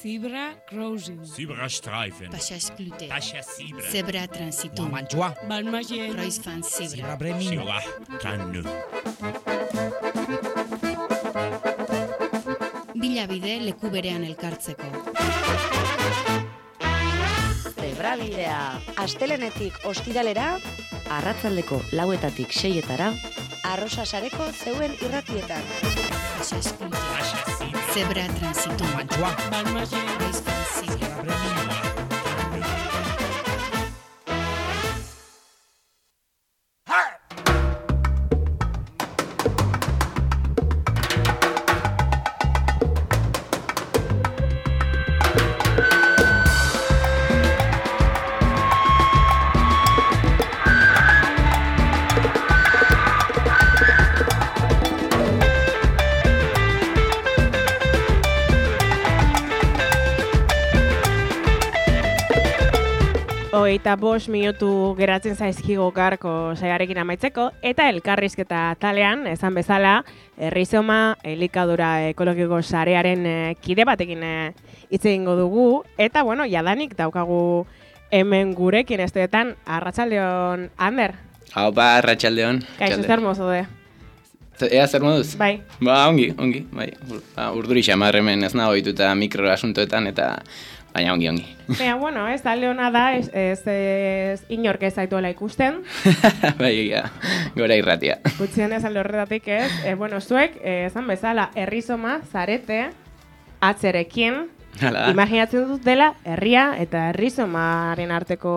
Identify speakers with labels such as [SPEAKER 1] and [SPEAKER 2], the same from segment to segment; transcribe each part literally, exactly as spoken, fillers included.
[SPEAKER 1] Zebra crossing.
[SPEAKER 2] Zebrastreifen.
[SPEAKER 3] Passage clouté.
[SPEAKER 2] Tascha Zebra.
[SPEAKER 3] Zebra transitum.
[SPEAKER 4] Mantua.
[SPEAKER 1] Balmagien.
[SPEAKER 3] Kreuzfahrt Zebra.
[SPEAKER 4] Zebra Bremin.
[SPEAKER 2] Zebra Tanne.
[SPEAKER 3] Bilabide leku berean elkartzeko.
[SPEAKER 5] Zebrabidea. Astelenetik ostiralera, arratsaldeko lauetatik seietara, Arrosasareko zeuen irratietan.
[SPEAKER 3] Passage clouté.
[SPEAKER 2] Tascha Zebra.
[SPEAKER 3] Zebra transitum.
[SPEAKER 4] Mantua.
[SPEAKER 1] Balmagien.
[SPEAKER 3] Kreuzfahrt Zebra.
[SPEAKER 4] Zebra Bremin.
[SPEAKER 6] Hogeita bost minutu geratzen zaizkigo garko saiarekin amaitzeko, eta elkarrizketa talean, esan bezala, Errizoma elikadura ekologiko sarearen eh, kide batekin eh, hitz egingo dugu, eta bueno, jadanik daukagu hemen gurekin esteetan, arratsaldeon, Ander.
[SPEAKER 7] Haupa, arratsaldeon.
[SPEAKER 6] Kaixo, zer mozo de?
[SPEAKER 7] Ea zer moduz?
[SPEAKER 6] Bai.
[SPEAKER 7] Ba, ongi, ongi, bai. Ba, urduri xamar hemen ez nago dituta mikroasuntoetan eta baina ongi, ongi.
[SPEAKER 6] Baina, bueno, ez da leona da, ez, ez, ez inork ez zaituela ikusten.
[SPEAKER 7] Bai, ja, gora irratia.
[SPEAKER 6] Gutxien ez alde horretatik ez. E, bueno, zuek, eh, esan bezala, Errizoma zarete atzerekin.
[SPEAKER 7] Hala.
[SPEAKER 6] Imaginatzen dut dela, herria eta Errizomaren arteko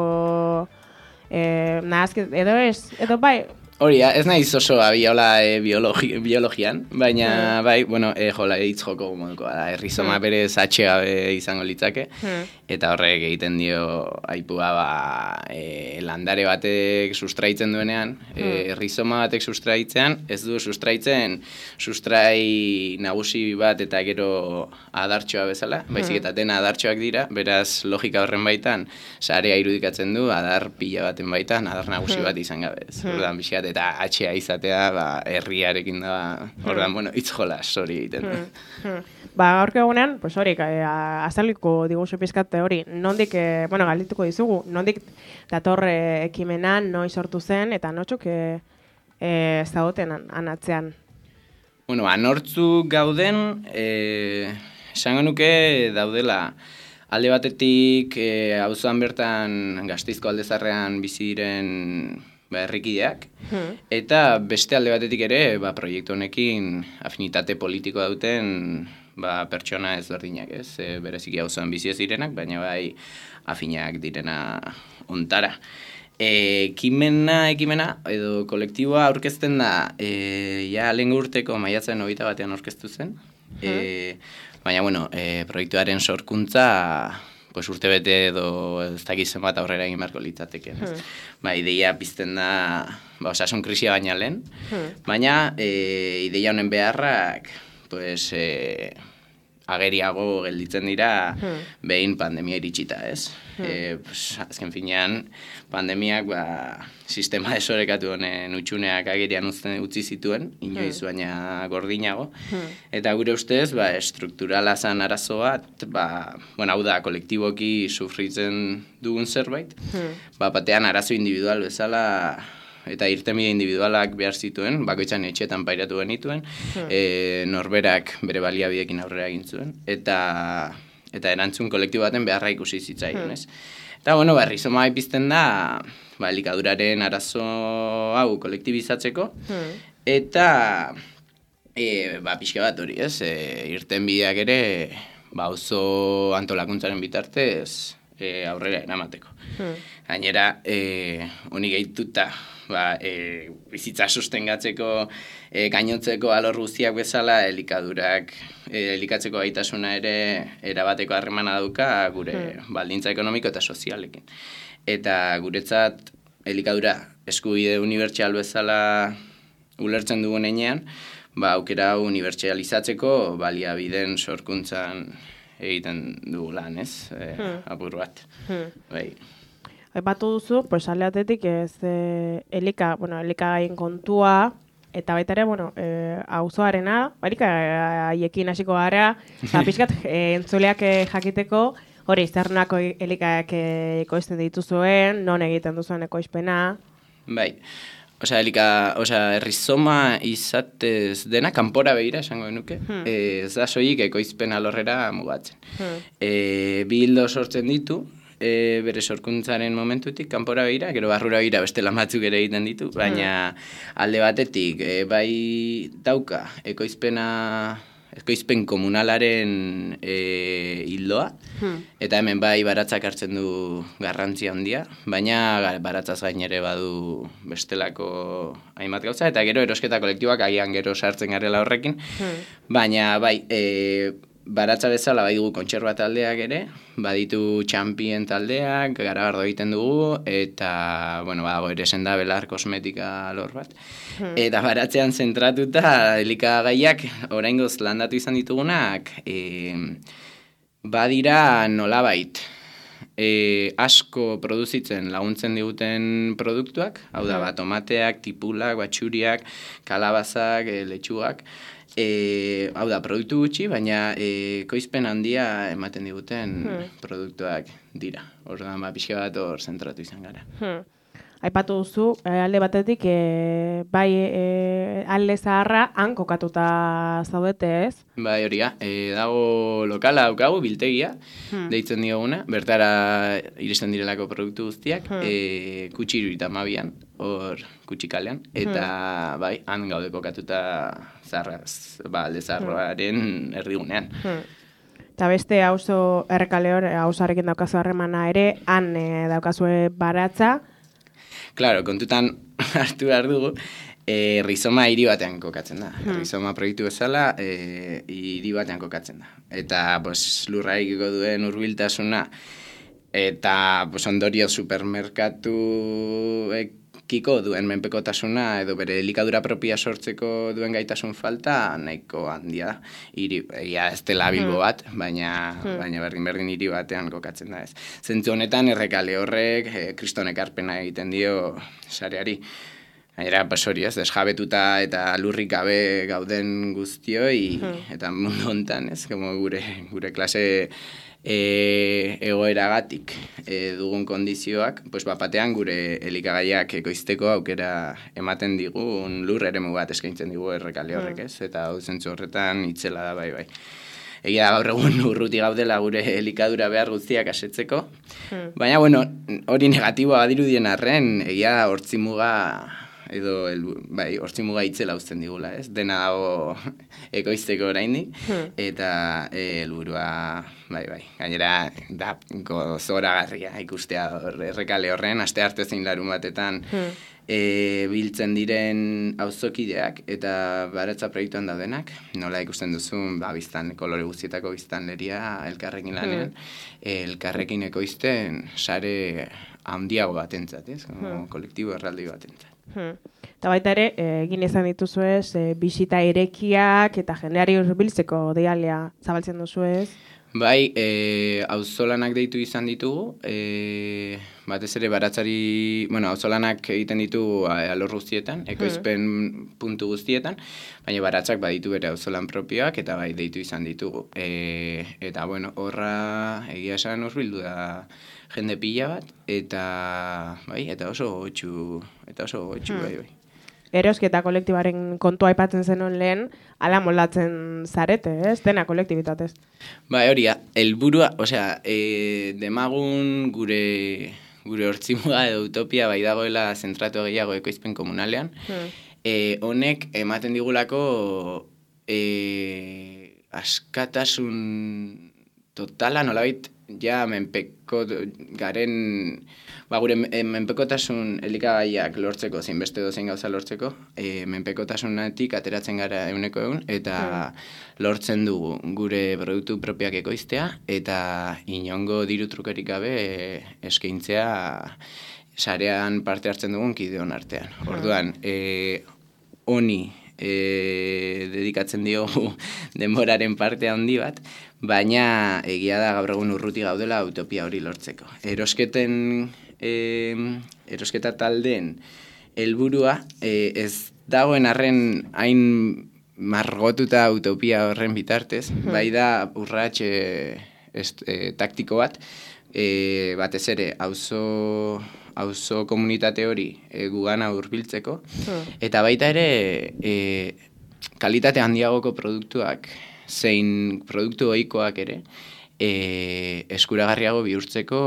[SPEAKER 6] eh, nahazket, edo ez, edo bai,
[SPEAKER 7] Hori, ez naiz oso abiola e, biologi, biologian, baina bai, bueno, e, jola hitz joko modukoa da, Errizoma
[SPEAKER 6] Mm.
[SPEAKER 7] berez atxe gabe izango litzake,
[SPEAKER 6] Mm.
[SPEAKER 7] eta horrek egiten dio aipua ba, e, landare batek sustraitzen duenean, e, Errizoma batek sustraitzean, ez du sustraitzen sustrai nagusi bat eta gero adartxoa bezala, baizik eta dena adartxoak dira, beraz logika horren baitan, sarea irudikatzen du, adar pila baten baitan, adar nagusi bat izan gabe. Ez. Orduan, pixkat, eta atxea izatea, ba, herriarekin da, orduan, bueno, hitz jolas hori egiten du.
[SPEAKER 6] Hmm. Ba, gaurko egunean, pues hori, eh, azaliko diguzu pizkate hori, nondik, eh, bueno, galdituko dizugu, nondik dator eh, ekimena, noiz sortu zen, eta notxuk eh, eh, zagoten an, anatzean.
[SPEAKER 7] Bueno, anortzu gauden, eh, esango nuke daudela, alde batetik, eh, auzoan bertan Gasteizko aldezarrean bizi diren ba, herrikideak,
[SPEAKER 6] Hmm.
[SPEAKER 7] eta beste alde batetik ere, ba, proiektu honekin afinitate politikoa duten ba, pertsona ezberdinak, ez? E, bereziki auzoan bizi ez direnak, baina bai afinak direna ontara. E, ekimena, ekimena, edo kolektiboa aurkezten da, e, ja lehen urteko maiatzen hogeita batean aurkeztu zen, e, baina, bueno, e, proiektuaren sorkuntza pues urte bete edo ez dakiz zenbat aurrera egin beharko litzateke. Hmm. Ba, ideia pizten da, ba, osasun krisia baina lehen, hmm. baina e, ideia honen beharrak, pues, e, ageriago gelditzen dira hmm. behin pandemia iritsita, ez? Hmm. E, pues, azken finean, pandemiak ba, sistema desorekatu honen utxuneak agerian uzten, utzi zituen, inoiz hmm. baina gordinago, hmm. eta gure ustez, ba, estrukturala zan arazo bat, ba, bueno, hau da, kolektiboki sufritzen dugun zerbait, hmm. ba, batean arazo individual bezala, eta irtenbide individualak behar zituen, bakoitzan etxetan pairatu genituen, hmm. e, norberak bere baliabidekin aurrera egin zuen, eta, eta erantzun kolektibo baten beharra ikusi zitzaion, hmm. ez? Eta, bueno, ba, Errizoma pizten da, ba, elikaduraren arazo hau kolektibizatzeko, hmm. eta, e, ba, pixka bat hori, ez? E, irtenbideak ere, ba, auzo antolakuntzaren bitartez, e, aurrera eramateko. Hmm. Gainera, e, honi gehituta, ba, e, bizitza sustengatzeko, e, gainotzeko alor guztiak bezala, elikadurak, e, elikatzeko gaitasuna ere erabateko harremana dauka gure hmm. baldintza ekonomiko eta sozialekin. Eta guretzat elikadura eskubide unibertsal bezala ulertzen dugun heinean, ba, aukera hau unibertsalizatzeko baliabideen sorkuntzan egiten dugu lan, ez? E, hmm. apur bat. Hmm. Bai.
[SPEAKER 6] Aipatu duzu, pues alde atetik ez e, elika, bueno, elikagaien kontua, eta baita ere, bueno, e, auzoarena, barik haiekin hasiko gara, eta pixkat e, entzuleak e, jakiteko, hori, zernako elikak e, ekoizten dituzuen, non egiten duzuen ekoizpena.
[SPEAKER 7] Bai, osea, elika, osea, errizoma izatez dena, kanpora behira esango genuke, hmm. e, ez da soilik ekoizpen alorrera mugatzen. Hmm. E, bi hildo sortzen ditu, e, bere sorkuntzaren momentutik, kanpora behira, gero barrura behira beste lan batzuk ere egiten ditu, baina alde batetik, e, bai dauka ekoizpena, ekoizpen komunalaren e, hildoa, hmm. eta hemen bai baratzak hartzen du garrantzia handia, baina baratzaz gain ere badu bestelako hainbat gauza, eta gero erosketa kolektiboak agian gero sartzen garela horrekin, hmm. baina bai, e, baratza bezala bai dugu kontserba taldeak ere, baditu txampien taldeak, garagardo egiten dugu, eta, bueno, badago ere senda belar kosmetika lor bat. Hmm. Eta baratzean zentratuta, elikagaiak oraingoz landatu izan ditugunak, e, badira nolabait, e, asko produzitzen laguntzen diguten produktuak, hau da, bat, tomateak, tipulak, batxuriak, kalabazak, e, letxugak, E, hau da, produktu gutxi, baina e, koizpen handia ematen diguten hmm. produktuak dira. Orduan, ba, pixka bat hor zentratu izan gara.
[SPEAKER 6] Hmm. Aipatu duzu, alde batetik, e, bai e, alde zaharra han kokatuta zaudete, ez?
[SPEAKER 7] Bai, hori ga, e, dago lokala daukagu, biltegia, hmm. deitzen dioguna, bertara iristen direlako produktu guztiak, hmm. e, kutxiru eta mabian, hor kutxikalean, eta hmm. bai, han gaude kokatuta zarraz, ba, alde zaharroaren erdigunean.
[SPEAKER 6] Hmm. Eta beste auzo errekale hor, auzoarekin daukazu harremana ere, han e, daukazue baratza.
[SPEAKER 7] Claro, kontutan hartu behar dugu, e, rizoma hiri batean kokatzen da. Hmm. Rizoma proiektu bezala, e, hiri batean kokatzen da. Eta pues, lurraikiko duen hurbiltasuna, eta pues, ondorio supermerkatu kiko duen menpekotasuna edo bere elikadura propia sortzeko duen gaitasun falta nahiko handia da. Hiri, egia ez dela Bilbo bat, baina, hmm. baina berdin-berdin hiri batean kokatzen da ez. Zentzu honetan errekale horrek e, kriston ekarpena egiten dio sareari. Gainera, pues hori ez, desjabetuta eta lurrik gabe gauden guztioi, hmm. eta mundu hontan ez, como gure, gure klase E, egoeragatik e, dugun kondizioak, pues bapatean gure elikagaiak ekoizteko aukera ematen digun lur eremu bat eskaintzen digu errekale horrek, ez? Eta hau zentzu horretan itzela da bai bai. Egia da gaur egun urruti gaudela gure elikadura behar guztiak asetzeko, hmm. baina bueno, hori negatiboa badirudien arren, egia da hortzimuga edo el, bai, hortzimuga itzela uzten digula, ez? Dena dago ekoizteko oraindik hmm. eta helburua bai bai. Gainera da gozoragarria ikustea errekale horren astearte zein larun batetan hmm. e, biltzen diren auzokideak eta baratza proiektuan daudenak, nola ikusten duzun, ba biztan kolore guztietako biztanleria elkarrekin lanean, hmm. elkarrekin ekoizten sare handiago batentzat, ez? Hmm. Kolektibo erraldi batentzat.
[SPEAKER 6] Hmm. Eta baita ere, egin izan dituzuez, e, bisita irekiak eta jendeari hurbiltzeko deialea zabaltzen duzuez?
[SPEAKER 7] Bai, e, auzolanak deitu izan ditugu, e, batez ere baratzari, bueno, auzolanak egiten ditugu alor guztietan, ekoizpen hmm. puntu guztietan, baina baratzak baditu bere auzolan propioak eta bai deitu izan ditugu. E, eta, bueno, horra egia esan hurbildu da jende pila bat, eta bai, eta oso gotxu, eta oso gotxu, hmm. bai, bai.
[SPEAKER 6] Erosketa kolektibaren kontua aipatzen zenuen lehen, ala moldatzen zarete, ez? Dena kolektibitatez.
[SPEAKER 7] Bai, hori, helburua, osea, e, demagun gure gure hortzimuga edo utopia bai dagoela zentratu gehiago ekoizpen komunalean, hmm. e, honek ematen digulako e, askatasun totala, nolabait, ja menpeko garen, ba, gure menpekotasun elikagaiak lortzeko, zein beste dozein gauza lortzeko, e, menpekotasunetik ateratzen gara euneko egun, eta hmm. lortzen dugu gure produktu propiak ekoiztea, eta inongo diru trukerik gabe e, eskaintzea sarean parte hartzen dugun kideon artean. Hmm. Orduan, e, honi e, dedikatzen diogu denboraren parte handi bat, baina egia da gaur egun urruti gaudela utopia hori lortzeko. Erosketen, e, erosketa taldeen helburua e, ez dagoen arren hain margotuta utopia horren bitartez, bai da urrats e, est, e, taktiko bat, e, batez ere auzo auzo komunitate hori e, gugana hurbiltzeko, eta baita ere e, kalitate handiagoko produktuak zein produktu ohikoak ere e, eskuragarriago bihurtzeko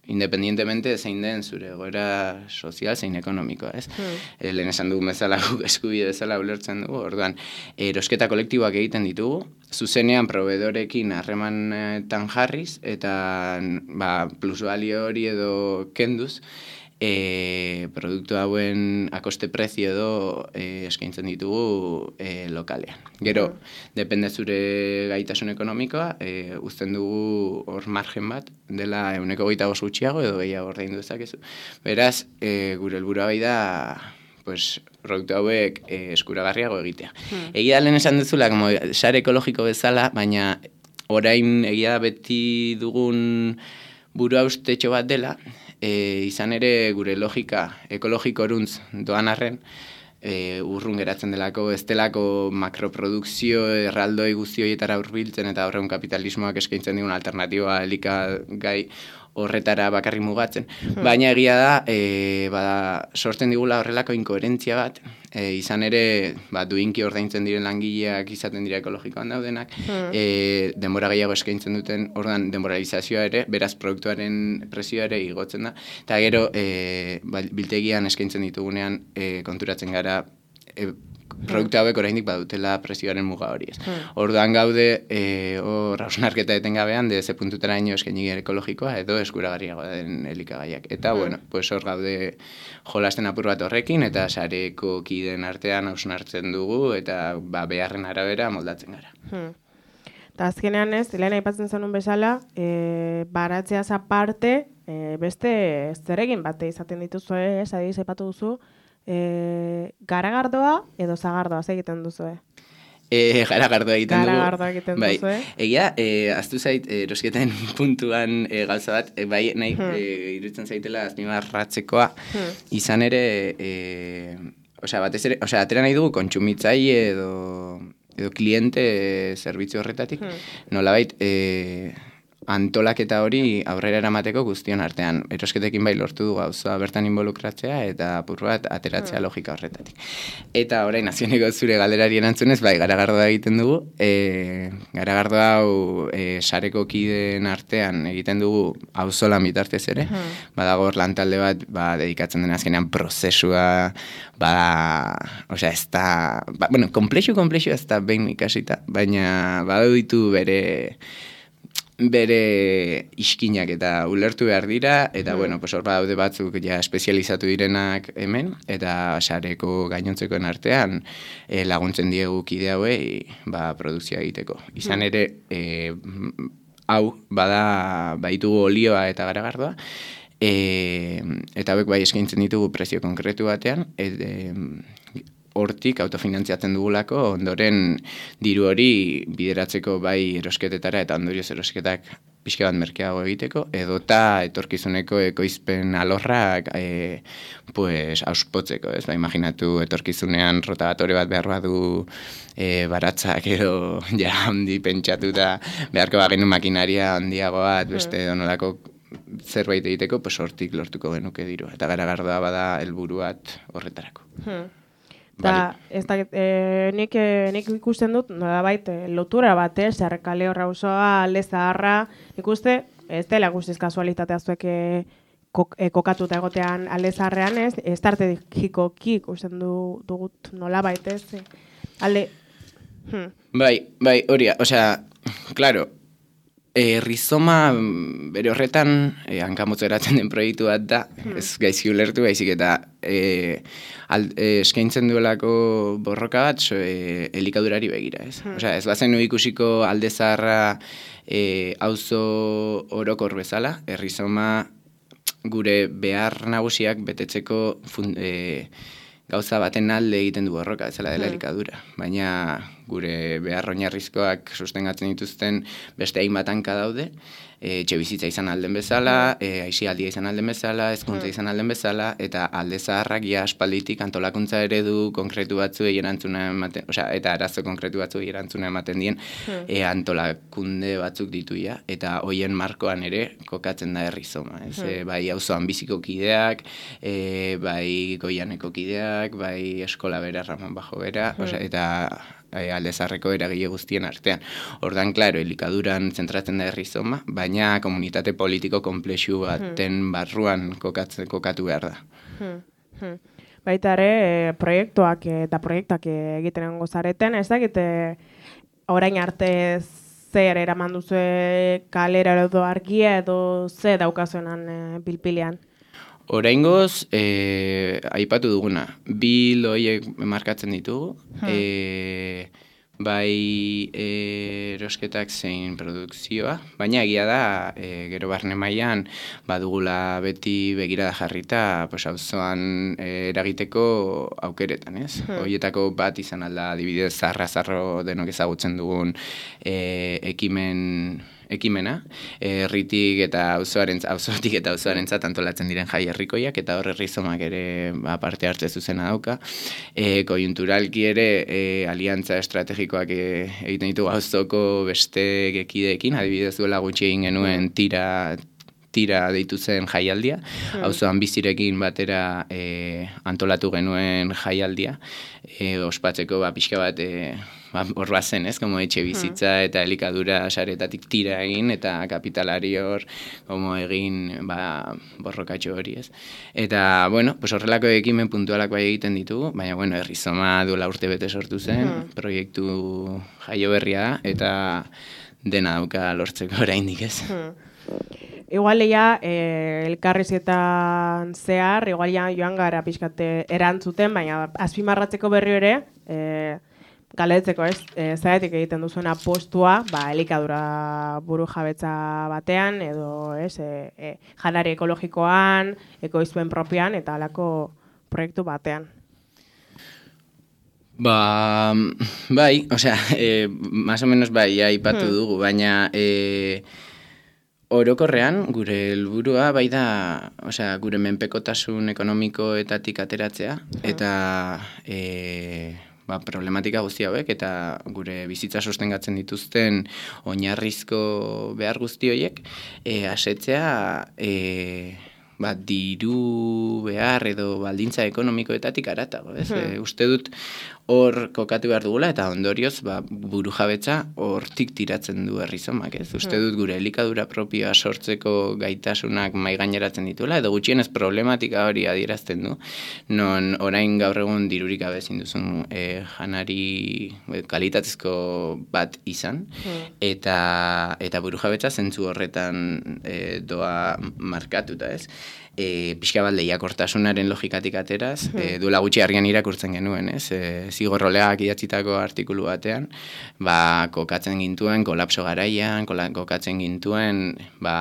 [SPEAKER 7] independientemente zein den zure egoera sozial zein ekonomikoa, ez? Hmm. E, lehen esan dugu bezala guk eskubide bezala ulertzen dugu, orduan, erosketa kolektiboak egiten ditugu, zuzenean proveedorekin harremanetan jarriz, eta ba, plusbalio hori edo kenduz, E, produktu hauen akoste prezio edo e, eskaintzen ditugu e, lokalean. Gero, mm. depende zure gaitasun ekonomikoa, e, uzten dugu hor margen bat, dela euneko goita bost gutxiago edo gehiago ordaindu dezakezu. Beraz, e, gure helburua bai da, pues, produktu hauek e, eskuragarriago egitea. Mm. Egia lehen esan duzula, como sare ekologiko bezala, baina orain egia da beti dugun burua ustetxo bat dela, E, izan ere gure logika ekologiko oruntz doan arren, e, urrun geratzen delako, ez delako makroprodukzio erraldoi guzti horietara hurbiltzen eta horreun kapitalismoak eskaintzen digun alternatiba elikagai horretara bakarri mugatzen. Hmm. Baina egia da, e, bada, sortzen digula horrelako inkoherentzia bat, e, izan ere ba, duinki ordaintzen diren langileak izaten dira ekologikoan daudenak, hmm. e, denbora gehiago eskaintzen duten, ordan denboralizazioa ere, beraz produktuaren prezioa ere igotzen da, eta gero e, ba, biltegian eskaintzen ditugunean e, konturatzen gara e, produktu hauek oraindik badutela prezioaren muga hori ez. Hmm. Orduan gaude e, hor hausnarketa etengabean de ze puntutara ino eskaini ekologikoa edo eskuragarriagoa den elikagaiak. Eta hmm. bueno, pues hor gaude jolasten apur bat horrekin eta sareko kideen artean hausnartzen dugu eta ba, beharren arabera moldatzen gara.
[SPEAKER 6] Hmm. Eta azkenean ez, lehen aipatzen zenun bezala, e, baratzeaz aparte, e, beste zeregin bate izaten dituzu, ez, adiz aipatu duzu, E, garagardoa edo zagardoa egiten duzu, eh?
[SPEAKER 7] E, garagardoa egiten dugu.
[SPEAKER 6] Garagardoa egiten
[SPEAKER 7] bai.
[SPEAKER 6] duzu, eh?
[SPEAKER 7] Egia, e, aztu zait, erosketen puntuan e, gauza bat, e, bai, nahi, hmm. e, iruditzen zaitela azpimarratzekoa, hmm. izan ere, e, osea, batez ere, osea, atera nahi dugu kontsumitzaile edo, edo kliente e, zerbitzu horretatik, hmm. nolabait, e, antolaketa hori aurrera eramateko guztion artean. Erosketekin bai lortu du gauza bertan involukratzea eta apur bat ateratzea logika horretatik. Eta orain nazioneko zure galderari erantzunez, bai, garagardoa egiten dugu. E, garagardoa hau e, sareko kideen artean egiten dugu auzolan bitartez ere. Hmm. Badago hor lantalde bat ba, dedikatzen den azkenean prozesua, bada, osea, ez da, ba, bueno, komplexu, komplexu ez da behin ikasita, baina badau ditu bere bere iskinak eta ulertu behar dira, eta mm. bueno, pues hor badaude batzuk ja espezializatu direnak hemen, eta sareko gainontzekoen artean e, laguntzen diegu kide hauei ba, produkzioa egiteko. Izan ere, e, hau, bada, baitugu olioa eta garagardoa, e, eta hauek bai eskaintzen ditugu prezio konkretu batean, et, e, hortik autofinantziatzen dugulako, ondoren diru hori bideratzeko bai erosketetara eta ondorioz erosketak pixka bat merkeago egiteko, edota etorkizuneko ekoizpen alorrak e, pues, auspotzeko, ez? Ba, imaginatu etorkizunean rotagatore bat behar badu e, baratzak edo ja handi pentsatuta beharko bagenu makinaria handiago bat, beste donolako zerbait egiteko, pues hortik lortuko genuke diru. Eta garagardoa bada helburu bat horretarako.
[SPEAKER 6] Hmm. Da, ez da, e, nik, e, nik ikusten dut, nolabait, e, lotura bat, eh, Zerrekale horra osoa, Alde Zaharra, nik uste, ez dela guztiz kasualitatea zuek e, kok, e, kokatuta egotean Alde Zaharrean, ez, ez tartegikoki ikusten du, dugut nolabait, ez, e, alde... Hmm.
[SPEAKER 7] Bai, bai, hori, osea, claro, E, rizoma bere horretan e, hankamotzeratzen den proiektu bat da, hmm. ez gaizki ulertu baizik eta e, al, e, eskaintzen duelako borroka bat so, e, elikadurari begira, ez? Hmm. Osea, ez bazen ikusiko Alde Zaharra e, auzo orokor bezala, errizoma gure behar nagusiak betetzeko fun, e, gauza baten alde egiten du borroka, ezala dela elikadura. Baina gure behar oinarrizkoak sustengatzen dituzten beste hainbat hanka daude, e, etxe bizitza izan alden bezala, e, aisialdia izan alden bezala, hezkuntza izan alden bezala, eta alde zaharrak ja aspalditik antolakuntza eredu konkretu batzuei erantzuna ematen, osea, eta arazo konkretu batzuei erantzuna ematen dien e, antolakunde batzuk ditu ja, eta hoien markoan ere kokatzen da Herrizoma, ez? E, bai auzoan biziko kideak, e, bai goianeko kideak, bai eskola bera, Ramon Bajo bera, osea, eta e, alde zaharreko eragile guztien artean. Ordan, klaro, elikaduran zentratzen da Herrizoma, baina komunitate politiko konplexu baten barruan kokatzen, kokatu behar da.
[SPEAKER 6] Hmm, hmm. Baita ere, e, proiektuak eta proiektuak egiten egongo zareten, ez dakit orain arte zer eraman duzue kalera edo argia edo ze daukazuenan e, pilpilean?
[SPEAKER 7] Oraingoz, e, aipatu duguna, bi loiek markatzen ditugu, hmm. e, bai e, erosketak zein produkzioa, baina egia da, e, gero barne mailan badugula beti begirada jarrita, pues, auzoan e, eragiteko aukeretan, ez? Hmm. Horietako bat izan alda, adibidez, zarra-zarro denok ezagutzen dugun e, ekimen ekimena, herritik eta auzoaren auzotik eta auzoarentzat antolatzen diren jai herrikoiak, eta hor Herrizomak ere ba, parte hartze zuzena dauka. E, koiunturalki ere e, aliantza estrategikoak e, egiten ditugu auzoko beste gekideekin, adibidez duela gutxi egin genuen tira tira deitu zen jaialdia, auzoan bizirekin batera e, antolatu genuen jaialdia, e, ospatzeko ba, pixka bat e, ba, hor bazen, ez, como etxe bizitza eta elikadura saretatik tira egin, eta kapitalari hor como egin ba, borrokatxo hori, ez. Eta, bueno, pues horrelako ekimen puntualak bai egiten ditugu, baina, bueno, Herrizoma duela urte bete sortu zen, hmm. proiektu jaio berria da, eta dena dauka lortzeko oraindik, ez.
[SPEAKER 6] Hmm. Igual ja, eh, elkarrizketan zehar, igual ja joan gara pixkate erantzuten, baina azpimarratzeko berri ere, eh, galetzeko ez, eh, zaitik egiten duzuena postua, ba, elikadura buru jabetza batean, edo ez, eh, eh, janari ekologikoan, ekoizpen propioan, eta halako proiektu batean.
[SPEAKER 7] Ba, bai, osea, eh, más o menos bai, aipatu hmm. dugu, baina... Eh, Orokorrean, gure helburua bai da, osea, gure menpekotasun ekonomikoetatik ateratzea, eta e, ba, problematika guzti hauek, eta gure bizitza sostengatzen dituzten oinarrizko behar guzti horiek, e, asetzea e, ba, diru behar edo baldintza ekonomikoetatik aratago, ez? Hmm. E, uste dut hor kokatu behar dugula, eta ondorioz ba, buru jabetza hortik tiratzen du Herrizomak, ez? Uste dut gure elikadura propioa sortzeko gaitasunak maigaineratzen dituela, edo gutxienez problematika hori adierazten du, non orain gaur egun dirurik gabe ezin duzun e, janari kalitatezko bat izan, hmm. eta, eta buru jabetza zentzu horretan e, doa markatuta, ez? E, pixka bat lehiakortasunaren logikatik ateraz, hmm. e, duela gutxi argian irakurtzen genuen, ez? E, Zigorroleak idatzitako artikulu batean, ba, kokatzen gintuen kolapso garaian, kokatzen gintuen, ba,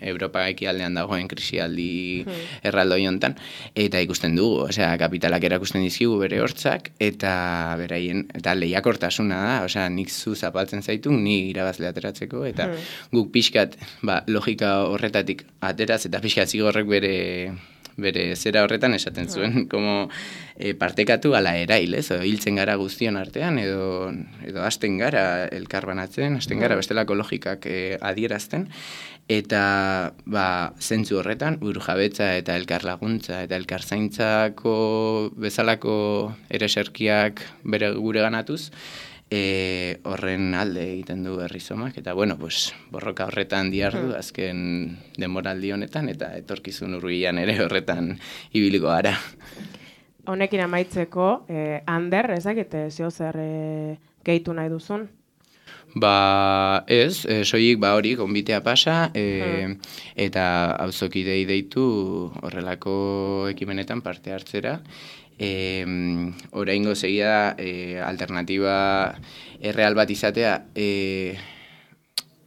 [SPEAKER 7] Europa ekialdean dagoen krisialdi hmm. erraldoi hontan, eta ikusten dugu, osea, kapitalak erakusten dizkigu bere hortzak, eta beraien, eta lehiakortasuna da, osea, nik zu zapaltzen zaitu, ni irabazle ateratzeko, eta hmm. guk pixkat, ba, logika horretatik ateraz, eta pixkat zigorrek bere... bere zera horretan esaten zuen, como e, partekatu ala erail, ez? Hiltzen gara guztion artean, edo, edo hasten gara elkarbanatzen, hasten gara bestelako logikak e, adierazten, eta ba, zentzu horretan, burujabetza eta elkarlaguntza eta elkarzaintzako bezalako ereserkiak bere gure ganatuz, E, horren alde egiten du Herrizomak, eta bueno, pues, borroka horretan diardu, hmm. azken denboraldi honetan, eta etorkizun hurbilan ere horretan ibiliko gara.
[SPEAKER 6] Honekin amaitzeko, eh, Ander, ezakite zeo zer eh, gehitu nahi duzun?
[SPEAKER 7] Ba, ez, e, soilik ba hori, gonbitea pasa, e, hmm. eta auzokidei deitu horrelako ekimenetan parte hartzera, E, oraingo segia da e, alternatiba erreal bat izatea e,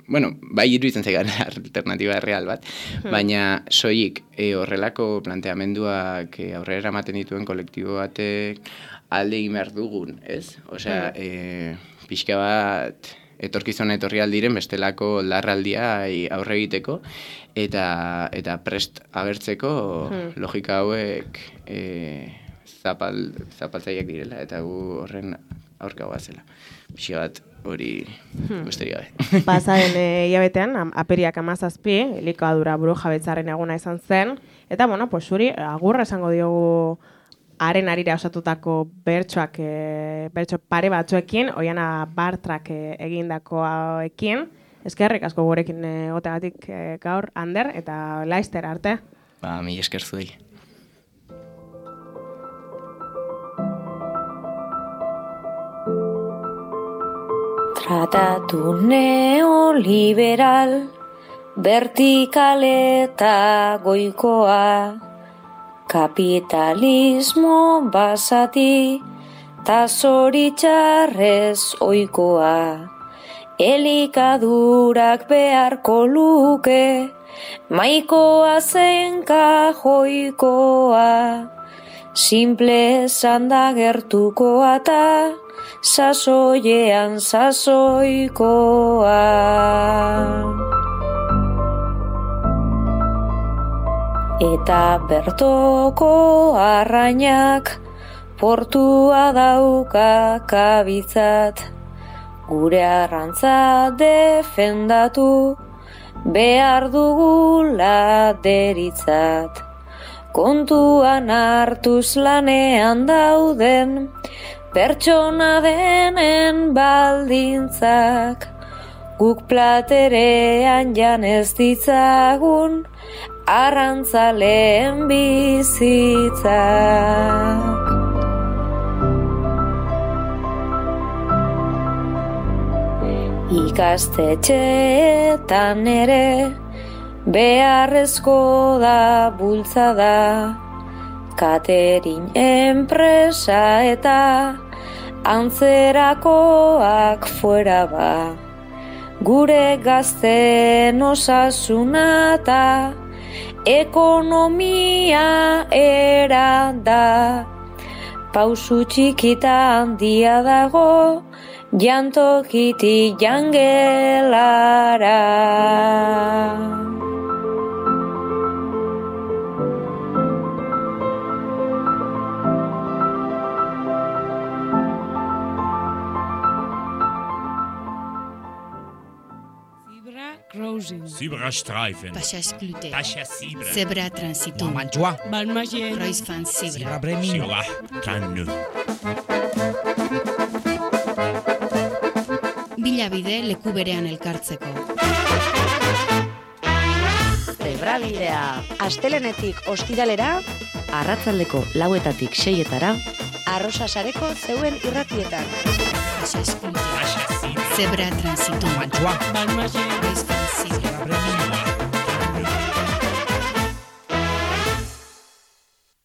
[SPEAKER 7] bueno, bai iruditzen zaigan alternatiba real bat, baina soilik e, horrelako planteamenduak e, aurrera ematen dituen kolektibo batek alde egin behar dugun, ez? Osea, e, pixka bat etorkizuna etorri aldiren bestelako larraldia aurre egiteko eta eta prest agertzeko hmm. logika hauek e, zapal, zapaltzaileak direla eta gu horren aurka goazela. Pixka bat hori hmm. besterik gabe.
[SPEAKER 6] Pasaren hilabetean, am, apiriak amazazpi, elikadura buru jabetzaren eguna izan zen, eta, bueno, pues, zuri agurra esango diogu haren arira osatutako bertsoak, e, bertso pare batzuekin, Oiana Bartrak e, egindakoekin, eskerrik asko gurekin egoteagatik e, gaur, Ander, eta Laister arte.
[SPEAKER 7] Ba, mi esker zuei.
[SPEAKER 4] Tratatu neoliberal, vertikal eta goikoa, kapitalismo basati, ta zoritxarrez oikoa, elikadurak beharko luke, maikoa zein kajoikoa, simple esan da gertukoa ta, sasoiean sasoikoa. Eta bertoko arrainak portua dauka kabitzat, gure arrantza defendatu behar dugula deritzat. Kontuan hartuz lanean dauden pertsona denen baldintzak, guk platerean janez ditzagun arrantzaleen bizitzak. Ikastetxeetan ere beharrezko da bultzada, catering enpresa eta antzerakoak fuera ba. Gure gazten osasuna eta ekonomia era da. Pausu txikita handia dago, jantokiti jangelara.
[SPEAKER 2] Zebrastreifen.
[SPEAKER 3] Passagsglute.
[SPEAKER 2] Passassibre.
[SPEAKER 3] Zebra transitum.
[SPEAKER 2] Mantua.
[SPEAKER 1] Balmagien.
[SPEAKER 3] Kreuzfahrt Zebra.
[SPEAKER 2] Zebra Bremin. Zebra Kannu.
[SPEAKER 3] Bilabide leku berean elkartzeko.
[SPEAKER 5] Zebrabidea, astelenetik ostiralera, arratzaldeko lauetatik seietara, Arrosa sareko zeuen irratietan.
[SPEAKER 3] Passagsglute.
[SPEAKER 2] Passassibre.
[SPEAKER 3] Zebra transitum.
[SPEAKER 2] Mantua.
[SPEAKER 1] Balmagien.
[SPEAKER 3] Kreuzfahrt